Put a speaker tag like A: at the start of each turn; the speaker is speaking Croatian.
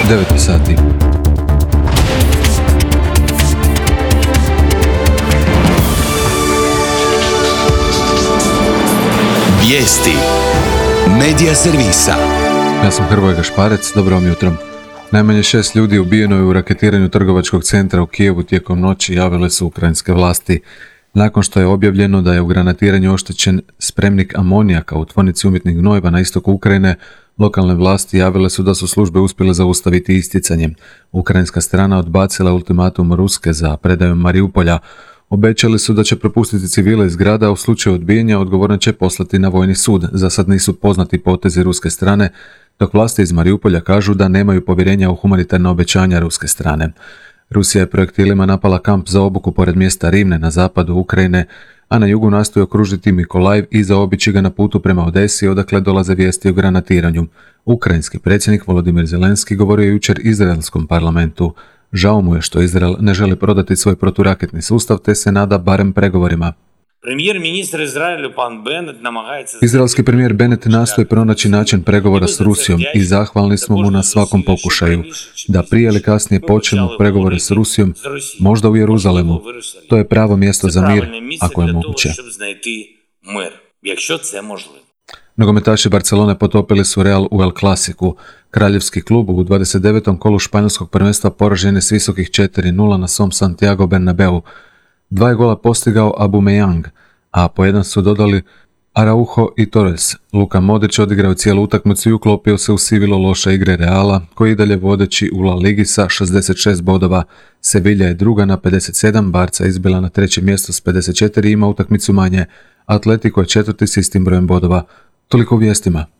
A: 9 sati.
B: Vijesti Medija servisa.
A: Ja sam Hrvoje Gašparec, dobro vam jutro. Najmanje 6 ljudi ubijeno je u raketiranju trgovačkog centra u Kijevu tijekom noći, javile su ukrajinske vlasti. Nakon što je objavljeno da je u granatiranju oštećen spremnik amonijaka u tvornici umjetnih gnojiva na istoku Ukrajine, lokalne vlasti javile su da su službe uspjele zaustaviti isticanje. Ukrajinska strana odbacila ultimatum Ruske za predajom Mariupolja. Obećali su da će propustiti civile iz grada, a u slučaju odbijanja odgovorne će poslati na vojni sud. Za sad nisu poznati potezi ruske strane, dok vlasti iz Mariupolja kažu da nemaju povjerenja u humanitarna obećanja ruske strane. Rusija je projektilima napala kamp za obuku pored mjesta Rivne na zapadu Ukrajine, a na jugu nastoji okružiti Mikolajv i zaobići ga na putu prema Odesi, odakle dolaze vijesti o granatiranju. Ukrajinski predsjednik Volodimir Zelenski govorio je jučer izraelskom parlamentu. Žao mu je što Izrael ne želi prodati svoj proturaketni sustav, te se nada barem pregovorima. Izraelski premijer Bennett nastoji pronaći način pregovora s Rusijom i zahvalni smo mu na svakom pokušaju. Da prije ili kasnije počnemo pregovore s Rusijom, možda u Jeruzalemu. To je pravo mjesto za mir, ako je moguće. Nogometaši Barcelone potopili su Real u El Clasicu. Kraljevski klub u 29. kolu španjolskog prvenstva poražen je s visokih 4-0 na svom Santiago Bernabeu. 2 je gola postigao Aubameyang, a po jedan su dodali Araujo i Torres. Luka Modrić odigrao cijelu utakmicu i uklopio se u sivilo loše igre Reala, koji i dalje vodeći u La Ligi sa 66 bodova. Sevilla je druga na 57, Barca izbila na trećem mjestu s 54 i ima utakmicu manje. Atletico je četvrti s istim brojem bodova. Toliko u vijestima.